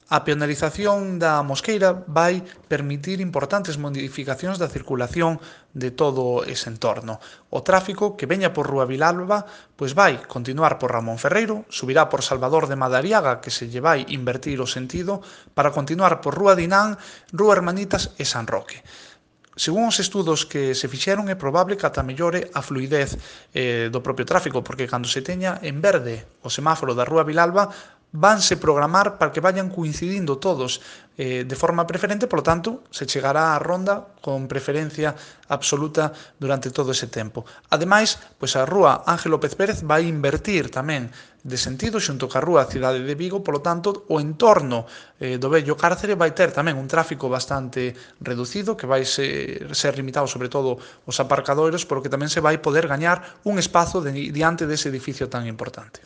A peonalización da Mosqueira vai permitir importantes modificacións da circulación de todo ese entorno. O tráfico que veña por Rúa Vilalba pois vai continuar por Ramón Ferreiro, subirá por Salvador de Madariaga, que se lle vai invertir o sentido, para continuar por Rúa Dinán, Rúa Hermanitas e San Roque. Según os estudos que se fixeron, é probable que ata mellore a fluidez do propio tráfico, porque cando se teña en verde o semáforo da Rúa Vilalba, vanse programar para que vayan coincidindo todos de forma preferente, polo tanto, se chegará á ronda con preferencia absoluta durante todo ese tempo. Ademais, pois a Rúa Ángel López Pérez vai invertir tamén de sentido xunto ca Rúa Cidade de Vigo, polo tanto, o entorno do vello cárcere vai ter tamén un tráfico bastante reducido, que vai ser limitado sobre todo os aparcadoiros, polo que tamén se vai poder gañar un espazo diante dese edificio tan importante.